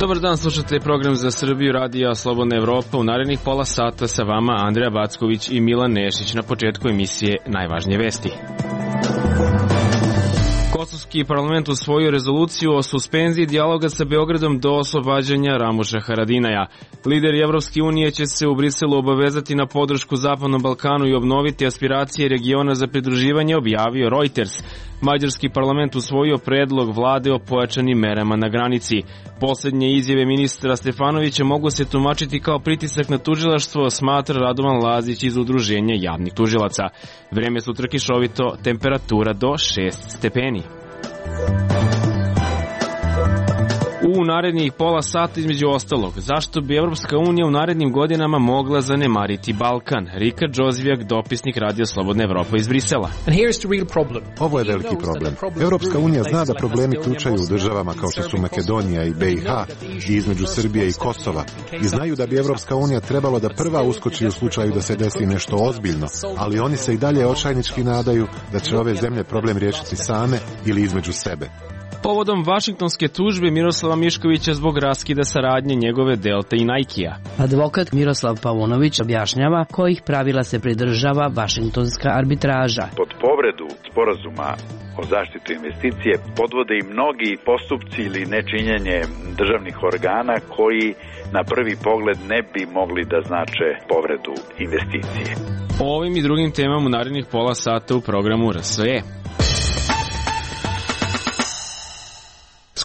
Dobar dan, slušate program za Srbiju radija Slobodna Evropa. U narednih pola sata sa vama Andreja Backović i Milan Nešić. Na početku emisije najvažnije vesti. Kosovski parlament usvojio rezoluciju o suspenziji dijaloga sa Beogradom do oslobađanja Ramuša Haradinaja. Lideri Evropske unije će se u Briselu obavezati na podršku Zapadnom Balkanu i obnoviti aspiracije regiona za pridruživanje, objavio Reuters. Mađarski parlament usvojio predlog vlade o pojačanim merama na granici. Poslednje izjave ministra Stefanovića mogu se tumačiti kao pritisak na tužilaštvo, smatra Radovan Lazić iz Udruženja javnih tužilaca. Vreme sutra kišovito, temperatura do 6 stepeni. U narednih pola sata između ostalog, zašto bi Evropska unija u narednim godinama mogla zanemariti Balkan? Rika Džozvijak, dopisnik Radija Slobodna Evropa iz Brisela. Ovo je veliki problem. Evropska unija zna da problemi ključaju u državama kao što su Makedonija i BiH i između Srbije i Kosova i znaju da bi Evropska unija trebalo da prva uskoči u slučaju da se desi nešto ozbiljno, ali oni se i dalje očajnički nadaju da će ove zemlje problem riješiti same ili između sebe. Povodom vašingtonske tužbe Miroslava Miškovića zbog raskida saradnje njegove Delta i Nike-a. Advokat Miroslav Paunović objašnjava kojih pravila se pridržava vašingtonska arbitraža. Pod povredu sporazuma o zaštitu investicije podvode i mnogi postupci ili nečinjenje državnih organa koji na prvi pogled ne bi mogli da znače povredu investicije. O ovim i drugim temama u narednih pola sata u programu RSE.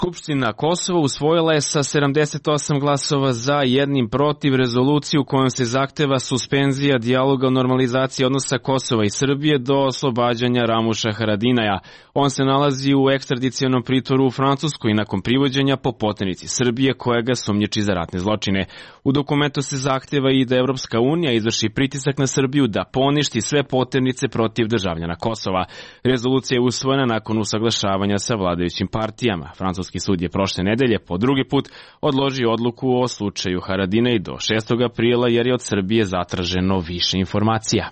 Skupština Kosova usvojila je sa 78 glasova za, 1 protiv rezoluciju kojom se zahteva suspenzija dijaloga o normalizaciji odnosa Kosova i Srbije do oslobađanja Ramuša Haradinaja. On se nalazi u ekstradicionom pritvoru u Francuskoj i nakon privođenja po poternici Srbije koja ga sumnjiči za ratne zločine. U dokumentu se zahteva i da Evropska unija izvrši pritisak na Srbiju da poništi sve poternice protiv državljana Kosova. Rezolucija je usvojena nakon usaglašavanja sa vladajućim partijama. Francuski sud je prošle nedelje po drugi put odložio odluku o slučaju Haradinaj do 6. aprila jer je od Srbije zatraženo više informacija.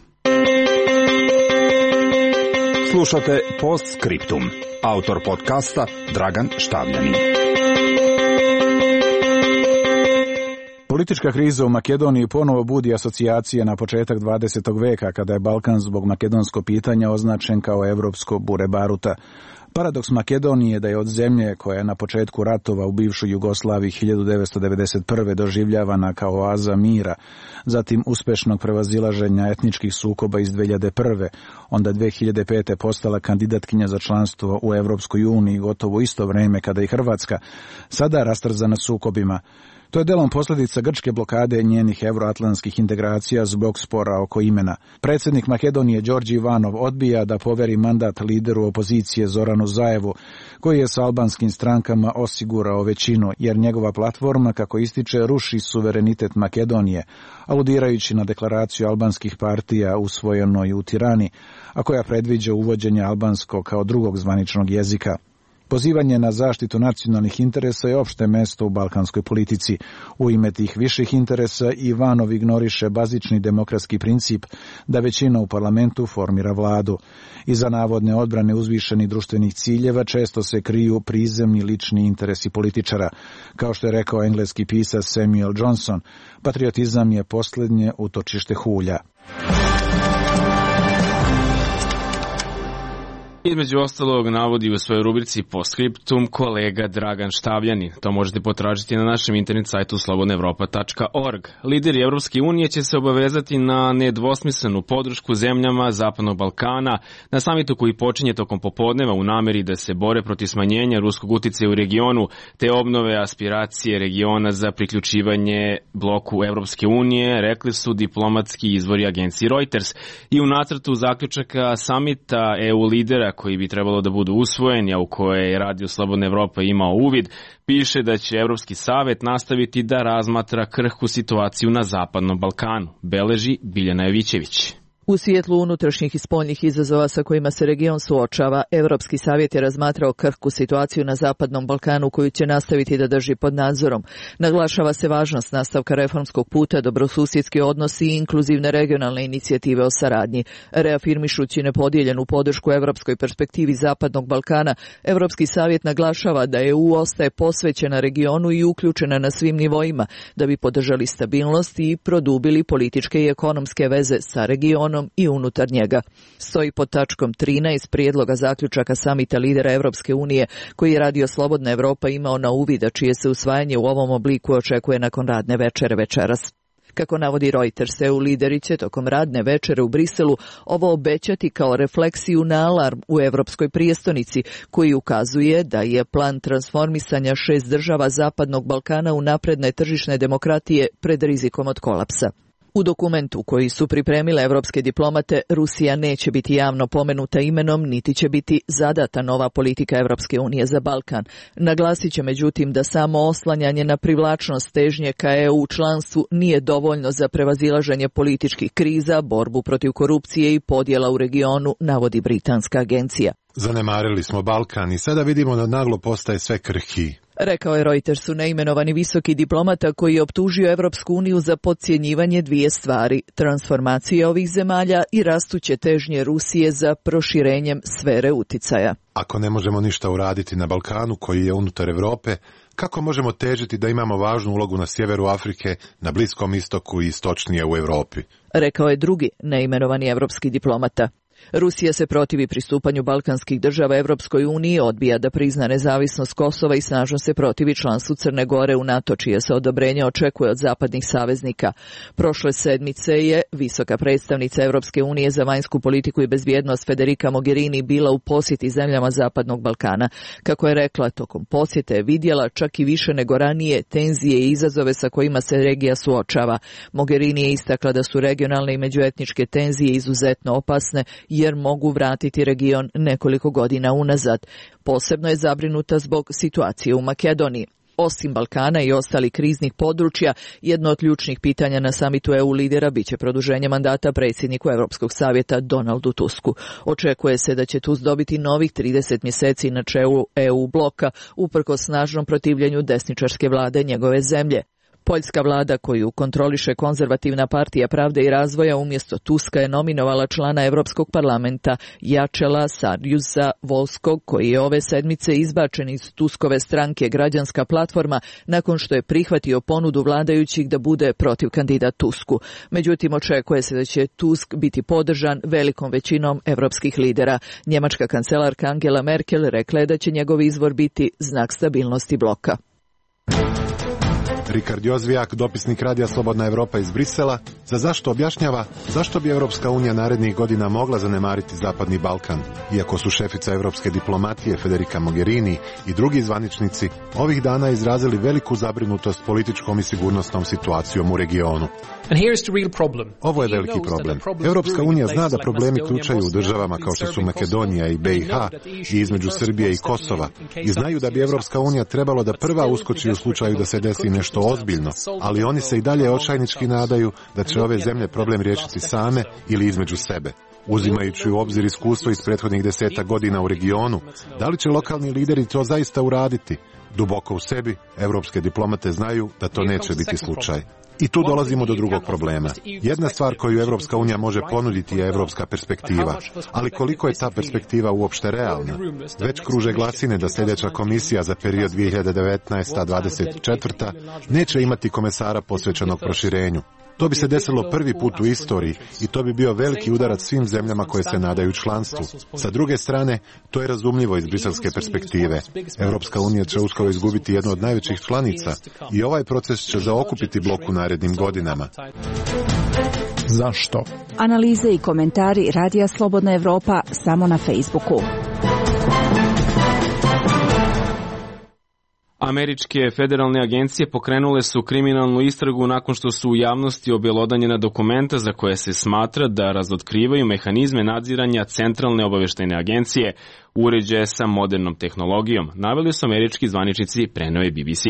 Slušate Postscriptum. Autor podcasta Dragan Štavljanin. Politička kriza u Makedoniji ponovo budi asocijacije na početak 20. veka kada je Balkan zbog makedonskog pitanja označen kao evropsko bure baruta. Paradoks Makedonije je da je od zemlje koja je na početku ratova u bivšoj Jugoslaviji 1991. doživljavana kao oaza mira, zatim uspešnog prevazilaženja etničkih sukoba iz 2001. onda 2005. postala kandidatkinja za članstvo u Evropskoj uniji gotovo isto vreme kada i Hrvatska, sada rastrzana sukobima. To je delom posljedica grčke blokade njenih evroatlantskih integracija zbog spora oko imena. Predsjednik Makedonije Đorđe Ivanov odbija da poveri mandat lideru opozicije Zoranu Zaevu, koji je s albanskim strankama osigurao većinu, jer njegova platforma, kako ističe, ruši suverenitet Makedonije, aludirajući na deklaraciju albanskih partija usvojenoj u Tirani, a koja predviđa uvođenje albanskog kao drugog zvaničnog jezika. Pozivanje na zaštitu nacionalnih interesa je opšte mesto u balkanskoj politici. U ime tih viših interesa Ivanov ignoriše bazični demokratski princip da većina u parlamentu formira vladu. Iza navodne odbrane uzvišenih društvenih ciljeva često se kriju prizemni lični interesi političara. Kao što je rekao engleski pisac Samuel Johnson, patriotizam je posljednje utočište hulja. Između ostalog navodi u svojoj rubrici Postscriptum kolega Dragan Štavljanin. To možete potražiti na našem internet sajtu slobodnaevropa.org. Lideri Evropske unije će se obavezati na nedvosmislenu podršku zemljama Zapadnog Balkana na samitu koji počinje tokom popodneva u nameri da se bore protiv smanjenja ruskog uticaja u regionu te obnove aspiracije regiona za priključivanje bloku Evropske unije, rekli su diplomatski izvori agenciji Reuters. I u nacrtu zaključaka samita EU lidera koji bi trebalo da budu usvojeni, a u koje je Radio Slobodna Evropa imao uvid, piše da će Evropski savet nastaviti da razmatra krhku situaciju na Zapadnom Balkanu, beleži Biljana Jovićević. U svjetlu unutrašnjih i spoljnih izazova sa kojima se region suočava, Evropski savjet je razmatrao krhku situaciju na Zapadnom Balkanu koju će nastaviti da drži pod nadzorom. Naglašava se važnost nastavka reformskog puta, dobrosusjedski odnosi i inkluzivne regionalne inicijative o saradnji. Reafirmišući nepodijeljenu podršku evropskoj perspektivi Zapadnog Balkana, Evropski savjet naglašava da EU ostaje posvećena regionu i uključena na svim nivoima da bi podržali stabilnost i produbili političke i ekonomske veze sa regionom i unutar njega. Stoji pod tačkom 13 prijedloga zaključaka samita lidera Evropske unije koji je Radio Slobodna Evropa imao na uvid, a čije se usvajanje u ovom obliku očekuje nakon radne večere večeras. Kako navodi Reuters, EU lideri će tokom radne večere u Briselu ovo obećati kao refleksiju na alarm u Evropskoj prijestonici, koji ukazuje da je plan transformisanja 6 država Zapadnog Balkana u napredne tržišne demokratije pred rizikom od kolapsa. U dokumentu koji su pripremile evropske diplomate, Rusija neće biti javno pomenuta imenom, niti će biti zadata nova politika Evropske unije za Balkan. Naglasit će međutim da samo oslanjanje na privlačnost težnje ka EU članstvu nije dovoljno za prevazilaženje političkih kriza, borbu protiv korupcije i podjela u regionu, navodi britanska agencija. Zanemarili smo Balkan i sada vidimo da naglo postaje sve krhkiji. Rekao je Reutersu neimenovani visoki diplomata koji je optužio Evropsku uniju za podcjenjivanje dvije stvari, transformacije ovih zemalja i rastuće težnje Rusije za proširenjem sfere uticaja. Ako ne možemo ništa uraditi na Balkanu koji je unutar Evrope, kako možemo težiti da imamo važnu ulogu na sjeveru Afrike, na Bliskom istoku i istočnije u Evropi? Rekao je drugi neimenovani evropski diplomata. Rusija se protivi pristupanju balkanskih država Evropskoj uniji, odbija da prizna nezavisnost Kosova i snažno se protivi članstvu Crne Gore u NATO, čije se odobrenje očekuje od zapadnih saveznika. Prošle sedmice je visoka predstavnica Evropske unije za vanjsku politiku i bezbjednost Federica Mogherini bila u posjeti zemljama Zapadnog Balkana. Kako je rekla, tokom posjete je vidjela čak i više nego ranije tenzije i izazove sa kojima se regija suočava. Mogherini je istakla da su regionalne i međuetničke tenzije izuzetno opasne jer mogu vratiti region nekoliko godina unazad. Posebno je zabrinuta zbog situacije u Makedoniji. Osim Balkana i ostalih kriznih područja, jedno od ključnih pitanja na samitu EU lidera biće produženje mandata predsjedniku Europskog savjeta Donaldu Tusku. Očekuje se da će Tusk dobiti novih 30 mjeseci na čelu EU bloka, uprkos snažnom protivljenju desničarske vlade njegove zemlje. Poljska vlada, koju kontroliše konzervativna partija Pravde i razvoja, umjesto Tuska je nominovala člana Europskog parlamenta Jacela Saryusza-Wolskog, koji je ove sedmice izbačen iz Tuskove stranke Građanska platforma nakon što je prihvatio ponudu vladajućih da bude protiv kandidat Tusku. Međutim, očekuje se da će Tusk biti podržan velikom većinom europskih lidera. Njemačka kancelarka Angela Merkel rekla je da će njegov izbor biti znak stabilnosti bloka. Rikard Jozvijak, dopisnik Radija Slobodna Evropa iz Brisela, za zašto objašnjava zašto bi Evropska unija narednih godina mogla zanemariti Zapadni Balkan, iako su šefica evropske diplomatije Federica Mogherini i drugi zvaničnici ovih dana izrazili veliku zabrinutost političkom i sigurnosnom situacijom u regionu. Ovo je veliki problem. Evropska unija zna da problemi ključaju u državama kao što su Makedonija i BiH i između Srbije i Kosova i znaju da bi Evropska unija trebalo da prva uskoči u slučaju da se desi nešto ozbiljno, ali oni se i dalje očajnički nadaju da će ove zemlje problem riješiti same ili između sebe. Uzimajući u obzir iskustvo iz prethodnih 10 godina u regionu, da li će lokalni lideri to zaista uraditi? Duboko u sebi, evropske diplomate znaju da to neće biti slučaj. I tu dolazimo do drugog problema. Jedna stvar koju Evropska unija može ponuditi je evropska perspektiva. Ali koliko je ta perspektiva uopšte realna? Već kruže glasine da sljedeća komisija za period 2019-2024 neće imati komesara posvećenog proširenju. To bi se desilo prvi put u istoriji i to bi bio veliki udarac svim zemljama koje se nadaju članstvu. Sa druge strane, to je razumljivo iz briselske perspektive. Evropska unija će uskoro izgubiti jednu od najvećih članica i ovaj proces će zaokupiti blok u narednim godinama. Zašto? Analize i komentari Radija Slobodna Evropa samo na Facebooku. Američke federalne agencije pokrenule su kriminalnu istragu nakon što su u javnosti objelodanjena dokumenta za koje se smatra da razotkrivaju mehanizme nadziranja centralne obavještajne agencije, uređaje sa modernom tehnologijom, naveli su američki zvaničnici, preneo je BBC.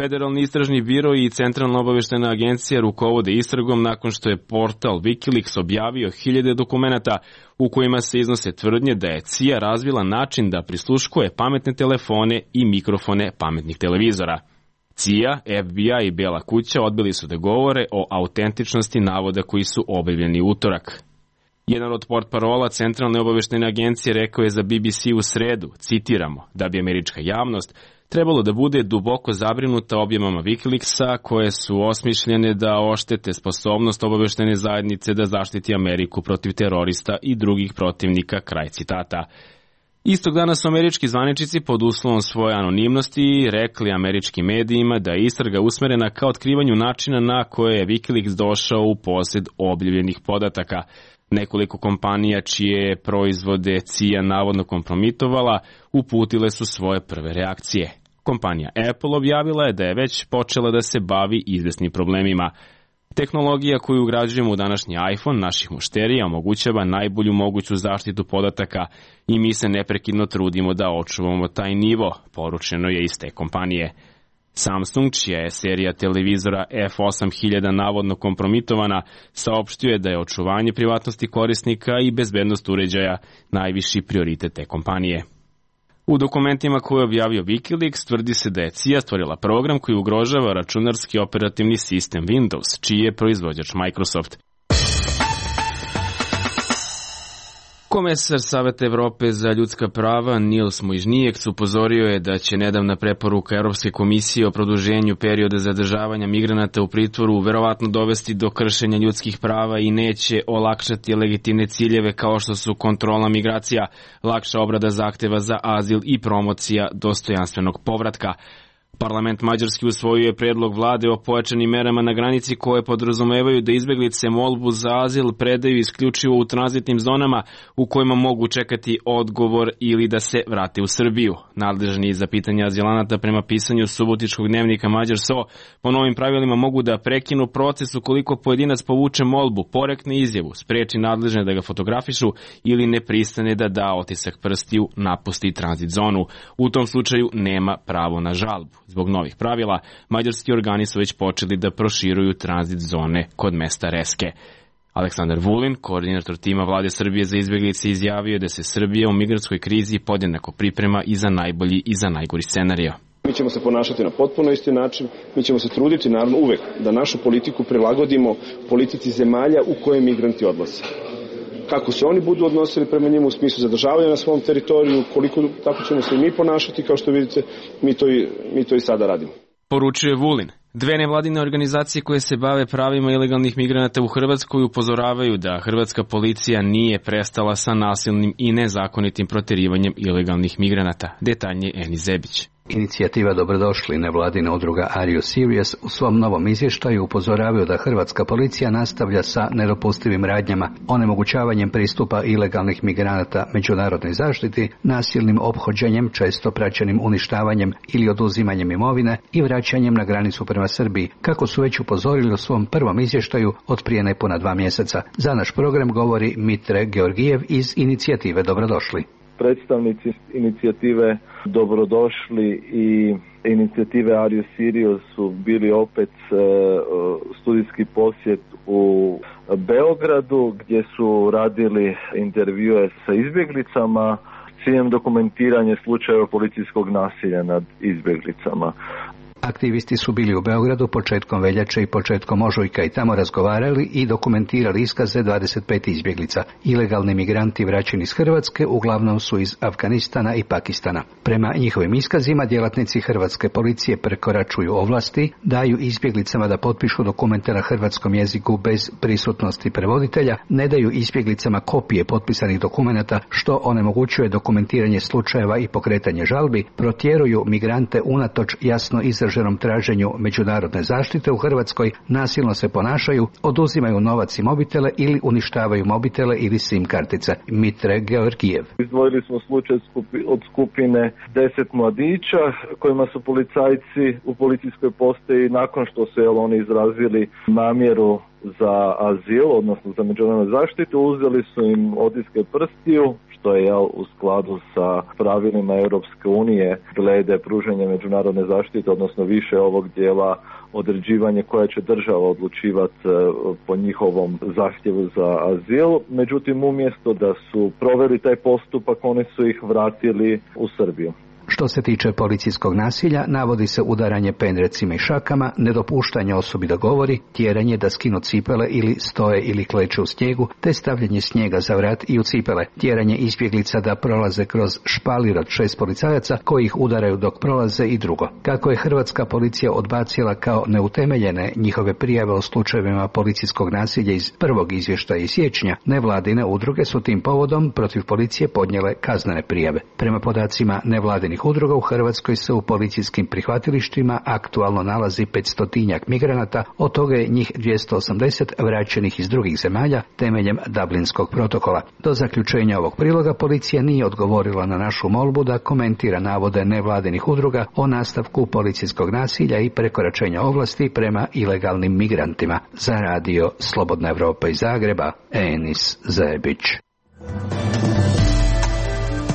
Federalni istražni biro i Centralna obaveštena agencija rukovode istragom nakon što je portal Wikileaks objavio hiljade dokumenata u kojima se iznose tvrdnje da je CIA razvila način da prisluškuje pametne telefone i mikrofone pametnih televizora. CIA, FBI i Bela kuća odbili su da govore o autentičnosti navoda koji su objavljeni utorak. Jedan od portparola Centralne obaveštene agencije rekao je za BBC u sredu, citiramo, da bi američka javnost trebalo da bude duboko zabrinuta objavama Wikileaksa koje su osmišljene da oštete sposobnost obaveštene zajednice da zaštiti Ameriku protiv terorista i drugih protivnika, kraj citata. Istog dana su američki zvaničnici pod uslovom svoje anonimnosti rekli američkim medijima da je istraga usmerena ka otkrivanju načina na koje je Wikileaks došao u posjed objavljenih podataka. Nekoliko kompanija čije proizvode CIA navodno kompromitovala uputile su svoje prve reakcije. Kompanija Apple objavila je da je već počela da se bavi izvesnim problemima. Tehnologija koju ugrađujemo u današnji iPhone naših mušterija omogućava najbolju moguću zaštitu podataka i mi se neprekidno trudimo da očuvamo taj nivo, poručeno je iz te kompanije. Samsung, čija je serija televizora F8000 navodno kompromitovana, saopštio je da je očuvanje privatnosti korisnika i bezbednost uređaja najviši prioritet te kompanije. U dokumentima koje je objavio Wikileaks tvrdi se da je CIA stvorila program koji ugrožava računarski operativni sistem Windows, čiji je proizvođač Microsoft. Komesar Saveta Evrope za ljudska prava Nils Muižnieks upozorio je da će nedavna preporuka Europske komisije o produženju perioda zadržavanja migranata u pritvoru verovatno dovesti do kršenja ljudskih prava i neće olakšati legitimne ciljeve kao što su kontrola migracija, lakša obrada zahteva za azil i promocija dostojanstvenog povratka. Parlament Mađarski usvojio je predlog vlade o pojačanim merama na granici koje podrazumevaju da izbeglice molbu za azil predaju isključivo u tranzitnim zonama u kojima mogu čekati odgovor ili da se vrate u Srbiju. Nadležni za pitanje azilanata prema pisanju subotičkog dnevnika Mađar.so po novim pravilima mogu da prekinu proces ukoliko pojedinac povuče molbu, porekne izjavu, spreči nadležne da ga fotografišu ili ne pristane da da otisak prstiju, napusti tranzit zonu. U tom slučaju nema pravo na žalbu. Zbog novih pravila, mađarski organi su već počeli da proširuju tranzit zone kod mesta Reske. Aleksandar Vulin, koordinator tima vlade Srbije za izbeglice, izjavio da se Srbija u migrantskoj krizi podjednako priprema i za najbolji i za najgori scenario. Mi ćemo se ponašati na potpuno isti način, mi ćemo se truditi naravno uvek da našu politiku prilagodimo politici zemalja u koje migranti odlaze. Kako se oni budu odnosili prema njima u smislu zadržavanja na svom teritoriju, tako ćemo se i mi ponašati, kao što vidite, mi to i sada radimo. Poručuje Vulin. Dve nevladine organizacije koje se bave pravima ilegalnih migranata u Hrvatskoj upozoravaju da hrvatska policija nije prestala sa nasilnim i nezakonitim proterivanjem ilegalnih migranata. Detaljnije Eni Zebić. Inicijativa Dobrodošli nevladina udruga Are You Serious u svom novom izvještaju upozoravaju da hrvatska policija nastavlja sa nedopustivim radnjama, onemogućavanjem pristupa ilegalnih migranata međunarodnoj zaštiti, nasilnim ophođenjem, često praćenim uništavanjem ili oduzimanjem imovine i vraćanjem na granicu prema Srbiji, kako su već upozorili u svom prvom izvještaju od prije nepuna 2 mjeseca. Za naš program govori Mitre Georgijev iz inicijative Dobrodošli. Predstavnici inicijative Dobrodošli i inicijative Are You Serious su bili opet studijski posjet u Beogradu gdje su radili intervjue sa izbjeglicama s ciljem dokumentiranja slučajeva policijskog nasilja nad izbjeglicama. Aktivisti su bili u Beogradu početkom veljače i početkom ožujka i tamo razgovarali i dokumentirali iskaze 25 izbjeglica. Ilegalni migranti vraćeni iz Hrvatske uglavnom su iz Afganistana i Pakistana. Prema njihovim iskazima djelatnici hrvatske policije prekoračuju ovlasti, daju izbjeglicama da potpišu dokumente na hrvatskom jeziku bez prisutnosti prevoditelja, ne daju izbjeglicama kopije potpisanih dokumenata što onemogućuje dokumentiranje slučajeva i pokretanje žalbi, protjeruju migrante unatoč jasno izraženom traženju međunarodne zaštite u Hrvatskoj, nasilno se ponašaju, oduzimaju novac i mobitele ili uništavaju mobitele ili SIM kartice. Mitre Georgijev. Izdvojili smo slučaj od skupine 10 mladića kojima su policajci u policijskoj postaji nakon što su oni izrazili namjeru za azil, odnosno za međunarodnu zaštitu, uzeli su im otiske prstiju, što je u skladu sa pravilima Europske unije glede pružanja međunarodne zaštite, odnosno više ovog dijela određivanje koja će država odlučivati po njihovom zahtjevu za azil. Međutim, umjesto da su proveli taj postupak, oni su ih vratili u Srbiju. Što se tiče policijskog nasilja, navodi se udaranje pendrecima i šakama, nedopuštanje osobi da govori, tjeranje da skinu cipele ili stoje ili kleče u snijegu, te stavljanje snijega za vrat i u cipele, tjeranje izbjeglica da prolaze kroz špalir od 6 policajaca koji ih udaraju dok prolaze i drugo. Kako je hrvatska policija odbacila kao neutemeljene njihove prijave o slučajevima policijskog nasilja iz prvog izvještaja iz siječnja, nevladine udruge su tim povodom protiv policije podnijele kaznene prijave. Prema podacima nevladinih udruga u Hrvatskoj se u policijskim prihvatilištima aktualno nalazi 500-tinjak migranata, od toga je njih 280 vraćenih iz drugih zemalja temeljem Dublinskog protokola. Do zaključenja ovog priloga policija nije odgovorila na našu molbu da komentira navode nevladinih udruga o nastavku policijskog nasilja i prekoračenja ovlasti prema ilegalnim migrantima. Za radio Slobodna Evropa iz Zagreba, Enis Zebić.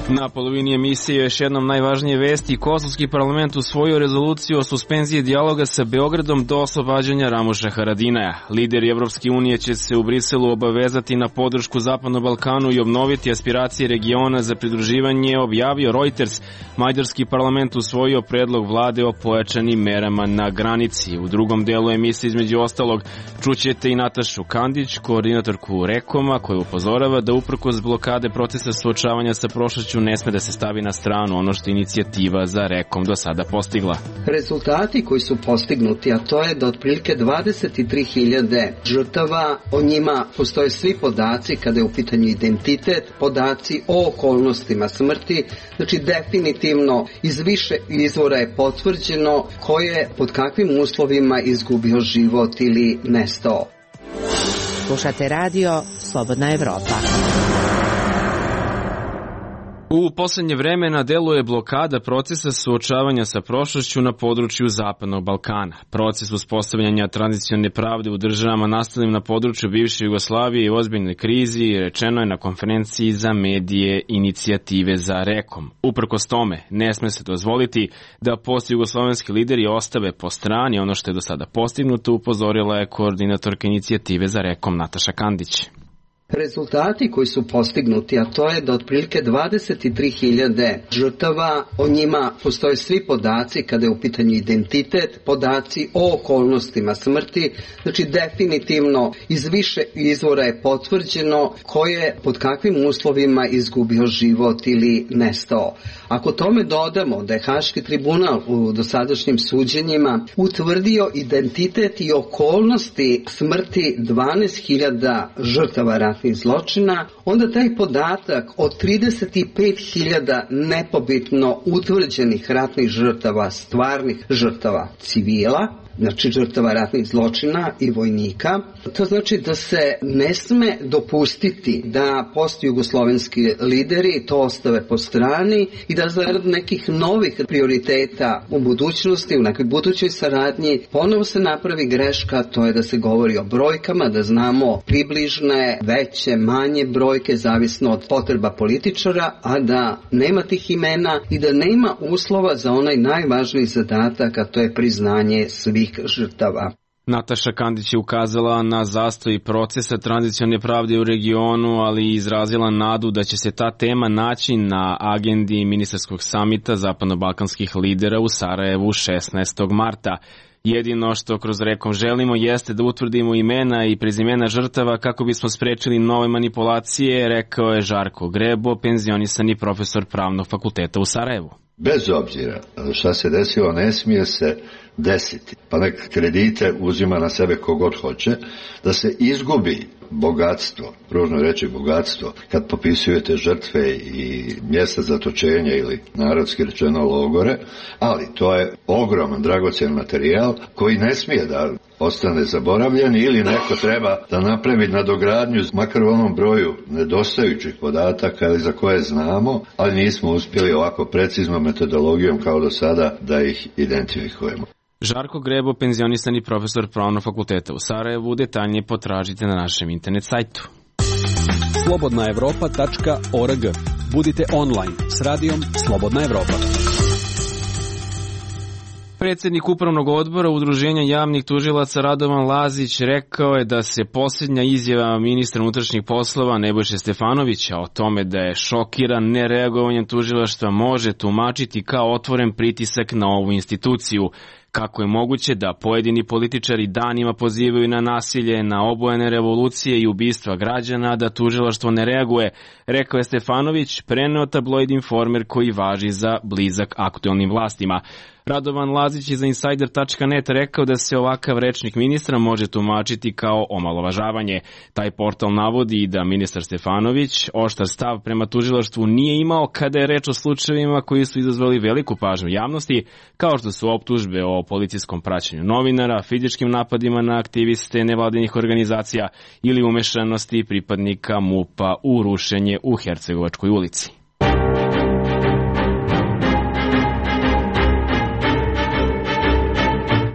Na polovini emisije još jednom najvažnije vesti. Kosovski parlament usvojio rezoluciju o suspenziji dijaloga sa Beogradom do oslobađanja Ramuša Haradinaja. Lideri Evropske unije će se u Briselu obavezati na podršku Zapadnom Balkanu i obnoviti aspiracije regiona za pridruživanje, objavio Reuters. Mađarski parlament usvojio predlog vlade o pojačanim merama na granici. U drugom delu emisije između ostalog čućete i Natašu Kandić, koordinatorku Rekoma, koja upozorava da uprkos blokade procesa suočavanja sa prošlošću ne sme da se stavi na stranu ono što inicijativa za Rekom do sada postigla. Rezultati koji su postignuti, a to je da otprilike 23.000 žrtava, o njima postoje svi podaci kada je u pitanju identitet, podaci o okolnostima smrti, znači definitivno iz više izvora je potvrđeno ko je pod kakvim uslovima izgubio život ili nestao. Slušate radio Slobodna Evropa. U poslednje vreme na delu je blokada procesa suočavanja sa prošlošću na području Zapadnog Balkana. Proces uspostavljanja tradicionalne pravde u državama nastalim na području bivše Jugoslavije i ozbiljnoj krizi rečeno je na konferenciji za medije inicijative za Rekom. Uprkos tome, ne sme se dozvoliti da postjugoslovenski lideri ostave po strani ono što je do sada postignuto, upozorila je koordinatorka inicijative za Rekom Nataša Kandić. Rezultati koji su postignuti, a to je da otprilike 23.000 žrtava, o njima postoje svi podaci kada je u pitanju identitet, podaci o okolnostima smrti, znači definitivno iz više izvora je potvrđeno ko je pod kakvim uslovima izgubio život ili nestao. Ako tome dodamo da je Haški tribunal u dosadašnjim suđenjima utvrdio identitet i okolnosti smrti 12.000 žrtava ratnih zločina, onda taj podatak od 35.000 nepobitno utvrđenih ratnih žrtava, stvarnih žrtava civila, znači žrtava ratnih zločina i vojnika. To znači da se ne sme dopustiti da postjugoslovenski lideri to ostave po strani i da zarad nekih novih prioriteta u budućnosti, u nekoj budućoj saradnji, ponovo se napravi greška, to je da se govori o brojkama, da znamo približne, veće, manje brojke, zavisno od potreba političara, a da nema tih imena i da nema uslova za onaj najvažniji zadatak, a to je priznanje svih žrtava. Nataša Kandić je ukazala na zastoj procesa tranzicionalne pravde u regionu, ali i izrazila nadu da će se ta tema naći na agendi ministarskog samita zapadno-balkanskih lidera u Sarajevu 16. marta. Jedino što kroz Rekom želimo jeste da utvrdimo imena i prezimena žrtava kako bismo sprečili nove manipulacije, rekao je Žarko Grebo, penzionisani profesor Pravnog fakulteta u Sarajevu. Bez obzira šta se desilo, ne smije se desiti, pa nek kredite uzima na sebe kogod hoće, da se izgubi bogatstvo, ružno reći bogatstvo, kad popisujete žrtve i mjesta zatočenja ili narodski rečeno logore, ali to je ogroman dragocjen materijal koji ne smije da ostane zaboravljen ili neko treba da napravi nadogradnju, makar u onom broju nedostajućih podataka ili za koje znamo, ali nismo uspjeli ovako preciznom metodologijom kao do sada da ih identifikujemo. Žarko Grebo, penzionisani profesor Pravnog fakulteta u Sarajevu, detaljnije potražite na našem internet sajtu. Slobodnaevropa.org Budite online s radijom Slobodna Evropa. Predsjednik Upravnog odbora Udruženja javnih tužilaca Radovan Lazić rekao je da se posljednja izjava ministra unutrašnjih poslova Nebojše Stefanovića o tome da je šokiran nereagovanjem tužilaštva može tumačiti kao otvoren pritisak na ovu instituciju. Kako je moguće da pojedini političari danima pozivaju na nasilje, na obojene revolucije i ubistva građana, da tužilaštvo ne reaguje, rekao je Stefanović, preneo tabloid Informer koji važi za blizak aktuelnim vlastima. Radovan Lazić je za Insider.net rekao da se ovakav rečnik ministra može tumačiti kao omalovažavanje. Taj portal navodi da ministar Stefanović oštar stav prema tužilaštvu nije imao kada je reč o slučajevima koji su izazvali veliku pažnju javnosti, kao što su optužbe o policijskom praćenju novinara, fizičkim napadima na aktiviste nevladinih organizacija ili umešanosti pripadnika MUP-a u rušenje u Hercegovačkoj ulici.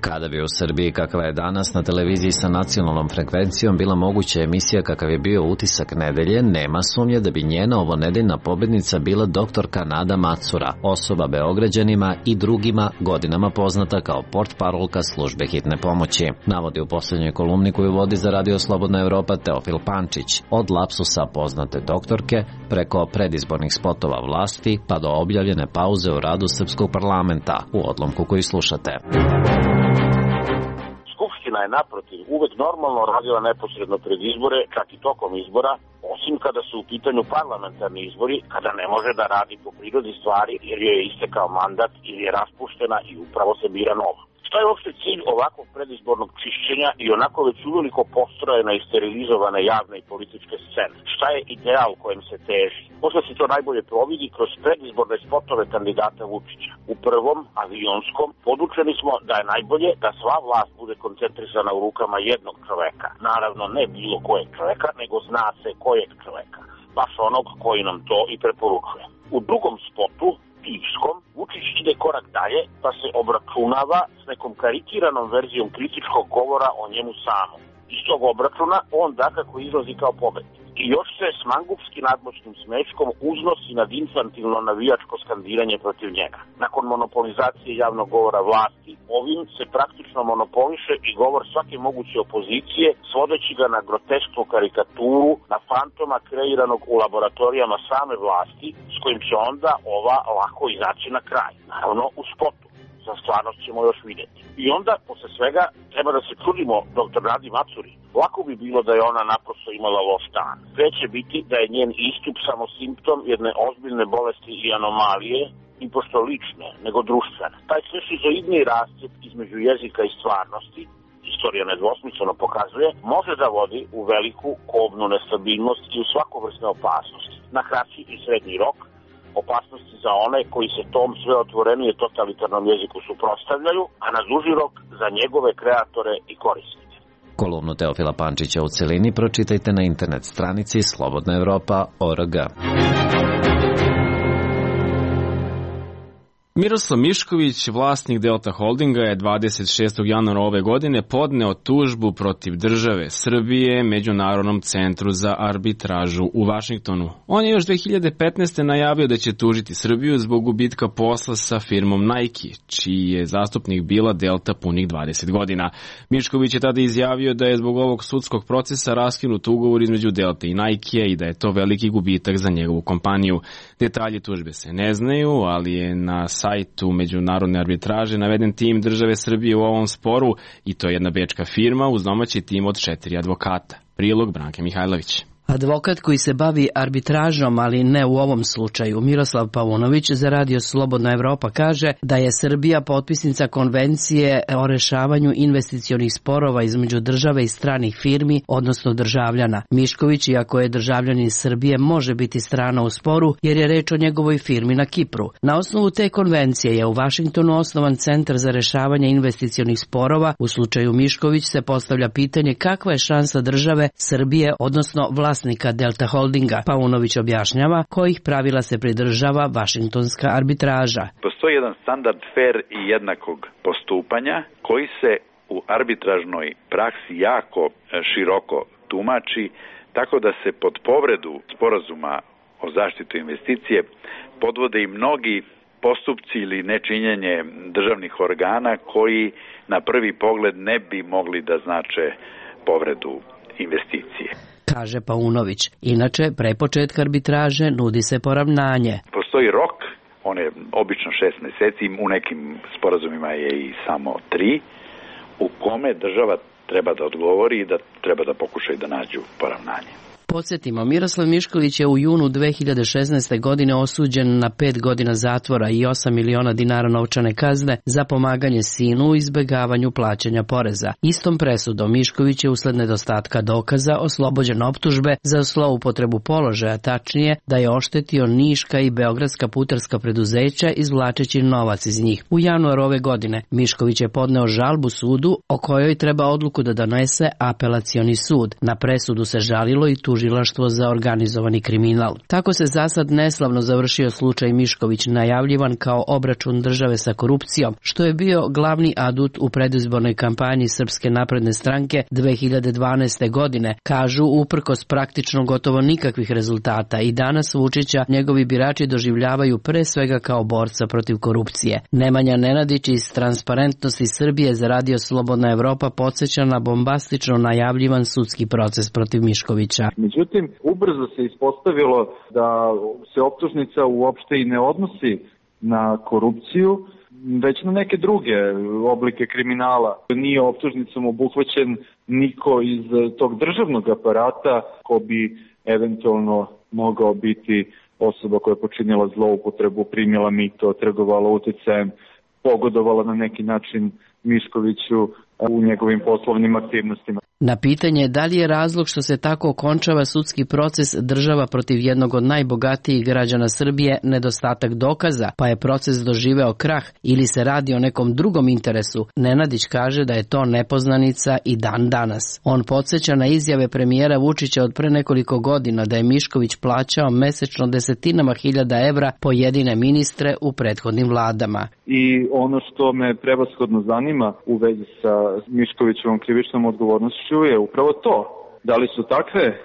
Kada bi u Srbiji kakva je danas na televiziji sa nacionalnom frekvencijom bila moguća emisija kakav je bio Utisak nedelje, nema sumnje da bi njena ovonedeljna pobednica bila doktorka Nada Macura, osoba Beograđanima i drugima godinama poznata kao portparolka službe hitne pomoći. Navodi u posljednjoj kolumni koju vodi za Radio Slobodna Evropa Teofil Pančić, od lapsusa poznate doktorke, preko predizbornih spotova vlasti, pa do objavljene pauze u radu srpskog parlamenta, u odlomku koji slušate. Skupština je naprotiv uvek normalno radila neposredno pred izbore, čak i tokom izbora, osim kada su u pitanju parlamentarni izbori, kada ne može da radi po prirodi stvari jer joj je istekao mandat ili je raspuštena i upravo se bira nova. Šta je uopšte cilj ovakvog predizbornog čišćenja i onako već uveliko postrojene i sterilizovane javne i političke scene? Šta je ideal kojem se teži? Možda se to najbolje providi kroz predizborne spotove kandidata Vučića. U prvom, avionskom, podučeni smo da je najbolje da sva vlast bude koncentrisana u rukama jednog čoveka. Naravno, ne bilo kojeg čoveka, nego zna se kojeg čoveka. Baš onog koji nam to i preporučuje. U drugom spotu, Pivskom, Vučić ide korak dalje pa se obračunava s nekom karikiranom verzijom kritičkog govora o njemu samom. Iz tog obračuna on dakako izlazi kao pobednik. I još se s mangupski nadmoćnim smeškom uznosi nad infantilno navijačko skandiranje protiv njega. Nakon monopolizacije javnog govora vlasti, ovim se praktično monopoliše i govor svake moguće opozicije, svodeći ga na grotesknu karikaturu, na fantoma kreiranog u laboratorijama same vlasti, s kojim će onda ova lako izaći na kraj. Naravno u spotu. Za stvarnost ćemo još vidjeti. I onda, posle svega, treba da se čudimo dr. Nadi Macuri. Lako bi bilo da je ona naprosto imala loš dan. Sve će biti da je njen istup samo simptom jedne ozbiljne bolesti i anomalije, i pošto lične, nego društvene. Taj sve šizoidni rascjep između jezika i stvarnosti, istorija nedvosmisleno pokazuje, može da vodi u veliku kobnu nestabilnost i u svakovrsne opasnosti. Na kraći i srednji rok, opasnosti za one koji se tom sve otvorenije totalitarnom jeziku suprotstavljaju, a na duži rok za njegove kreatore i korisnike. Kolumnu Teofila Pančića u celini pročitajte na internet stranici slobodnaevropa.org. Miroslav Mišković, vlasnik Delta Holdinga, je 26. januara ove godine podneo tužbu protiv države Srbije Međunarodnom centru za arbitražu u Vašingtonu. On je još 2015. najavio da će tužiti Srbiju zbog gubitka posla sa firmom Nike, čiji je zastupnik bila Delta punih 20 godina. Mišković je tada izjavio da je zbog ovog sudskog procesa raskinut ugovor između Delta i Nike i da je to veliki gubitak za njegovu kompaniju. Detalji tužbe se ne znaju, ali je na sajtu Međunarodne arbitraže naveden tim države Srbije u ovom sporu i to je jedna bečka firma uz domaći tim od 4 advokata. Prilog Branke Mihajlović. Advokat koji se bavi arbitražom, ali ne u ovom slučaju, Miroslav Paunović za Radio Slobodna Evropa kaže da je Srbija potpisnica konvencije o rešavanju investicionih sporova između države i stranih firmi, odnosno državljana. Mišković, iako je državljanin Srbije, može biti strana u sporu jer je reč o njegovoj firmi na Kipru. Na osnovu te konvencije je u Vašingtonu osnovan Centar za rešavanje investicionih sporova. U slučaju Mišković se postavlja pitanje kakva je šansa države Srbije, odnosno vlasnika Delta Holdinga. Paunović objašnjava kojih pravila se pridržava Vašingtonska arbitraža. Postoji jedan standard fer i jednakog postupanja koji se u arbitražnoj praksi jako široko tumači, tako da se pod povredu sporazuma o zaštitu investicije podvode i mnogi postupci ili nečinjenje državnih organa koji na prvi pogled ne bi mogli da znače povredu investicije. Kaže Paunović. Inače, pre početka arbitraže nudi se poravnanje. Postoji rok, on je obično 6 meseci, u nekim sporazumima je i samo 3, u kome država treba da odgovori i da treba da pokušaju da nađu poravnanje. Podsjetimo, Miroslav Mišković je u junu 2016. godine osuđen na 5 godina zatvora i 8 miliona dinara novčane kazne za pomaganje sinu u izbegavanju plaćanja poreza. Istom presudom Mišković je usled nedostatka dokaza oslobođen optužbe za zloupotrebu položaja, tačnije da je oštetio niška i beogradska putarska preduzeća izvlačeći novac iz njih. U januaru ove godine Mišković je podneo žalbu sudu o kojoj treba odluku da donese apelacioni sud. Na presudu se žalilo i tužilaštvo za organizovani kriminal. Tako se zasad neslavno završio slučaj Mišković, najavljivan kao obračun države sa korupcijom, što je bio glavni adut u predizbornoj kampanji Srpske napredne stranke 2012. godine, kažu uprkos praktično gotovo nikakvih rezultata i danas Vučića njegovi birači doživljavaju pre svega kao borca protiv korupcije. Nemanja Nenadić iz Transparentnosti Srbije za Radio Slobodna Evropa podsjeća na bombastično najavljivan sudski proces protiv Miškovića. Međutim, ubrzo se ispostavilo da se optužnica uopšte i ne odnosi na korupciju, već na neke druge oblike kriminala. Nije optužnicom obuhvaćen niko iz tog državnog aparata ko bi eventualno mogao biti osoba koja je počinila zloupotrebu, primila mito, trgovala uticajem, pogodovala na neki način Miškoviću u njegovim poslovnim aktivnostima. Na pitanje da li je razlog što se tako okončava sudski proces država protiv jednog od najbogatijih građana Srbije nedostatak dokaza, pa je proces doživeo krah ili se radi o nekom drugom interesu, Nenadić kaže da je to nepoznanica i dan danas. On podsjeća na izjave premijera Vučića od pre nekoliko godina da je Mišković plaćao mesečno desetinama hiljada evra pojedine ministre u prethodnim vladama. I ono što me prevashodno zanima u vezi sa Miškovićevom krivičnom odgovornošću je upravo to. Da li su takve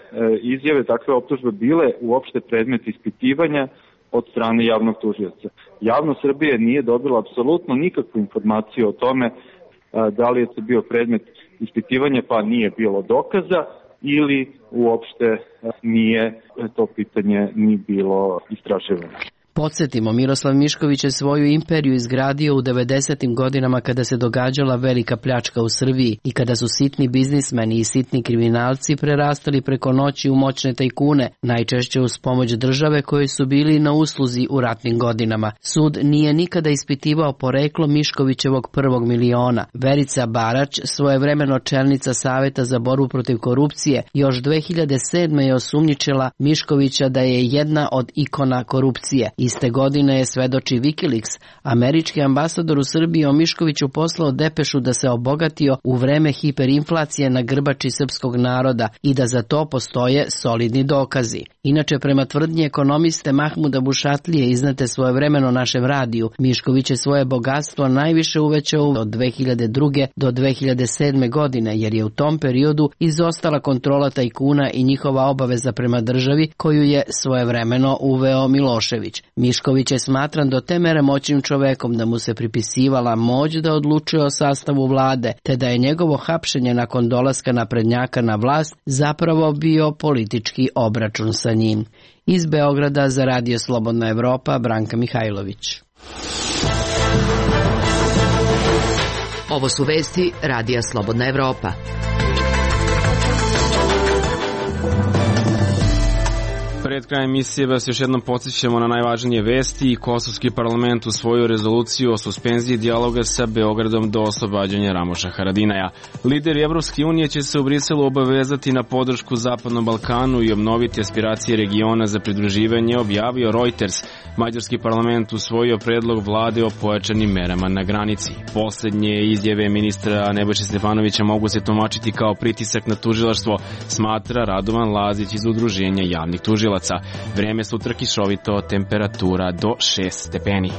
izjave, takve optužbe bile uopšte predmet ispitivanja od strane javnog tužioca. Javnost Srbije nije dobila apsolutno nikakvu informaciju o tome da li je to bio predmet ispitivanja pa nije bilo dokaza ili uopšte nije to pitanje ni bilo istraživano. Podsjetimo, Miroslav Mišković je svoju imperiju izgradio u 90. godinama kada se događala velika pljačka u Srbiji i kada su sitni biznismeni i sitni kriminalci prerastali preko noći u moćne tajkune, najčešće uz pomoć države koji su bili na usluzi u ratnim godinama. Sud nije nikada ispitivao poreklo Miškovićevog prvog miliona. Verica Barać, svojevremeno čelnica Saveta za borbu protiv korupcije, još 2007. je osumnjičila Miškovića da je jedna od ikona korupcije. Iste godine je, svedoči Wikileaks, američki ambasador u Srbiji o Miškoviću poslao depešu da se obogatio u vreme hiperinflacije na grbači srpskog naroda i da za to postoje solidni dokazi. Inače, prema tvrdnji ekonomiste Mahmuda Bušatlije iznete svojevremeno našem radiju, Mišković je svoje bogatstvo najviše uvećao od 2002. do 2007. godine, jer je u tom periodu izostala kontrola tajkuna i njihova obaveza prema državi koju je svojevremeno uveo Milošević. Mišković je smatran do te mere moćnim čovekom da mu se pripisivala moć da odlučuje o sastavu vlade, te da je njegovo hapšenje nakon dolaska naprednjaka na vlast zapravo bio politički obračun sa njim. Iz Beograda za Radio Slobodna Evropa, Branka Mihajlović. Ovo su vesti Radija Slobodna Evropa. Pred krajem emisije vas još jednom podsjećamo na najvažnije vesti i Kosovski parlament usvojio rezoluciju o suspenziji dijaloga sa Beogradom do oslobađanja Ramoša Haradinaja. Lideri Evropske unije će se u Briselu obavezati na podršku Zapadnom Balkanu i obnoviti aspiracije regiona za pridruživanje, objavio Reuters. Mađarski parlament usvojio predlog vlade o pojačanim merama na granici. Poslednje izjave ministra Nebojše Stefanovića mogu se tumačiti kao pritisak na tužilaštvo, smatra Radovan Lazić iz Udruženja javnih tužilaca. Vreme sutra kišovito, temperatura do 6 stepeni.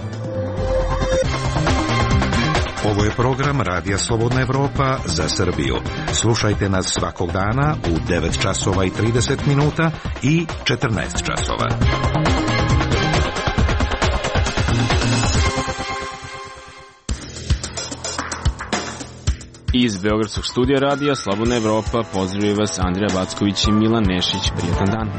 Ovo je program Radija Slobodna Evropa za Srbiju. Slušajte nas svakog dana u 9 časova i 30 minuta i 14 časova. Iz Beogradskog studija Radija Slobodna Evropa pozdravljaju vas Andrija Backović i Milan Nešić. Prijatan dan.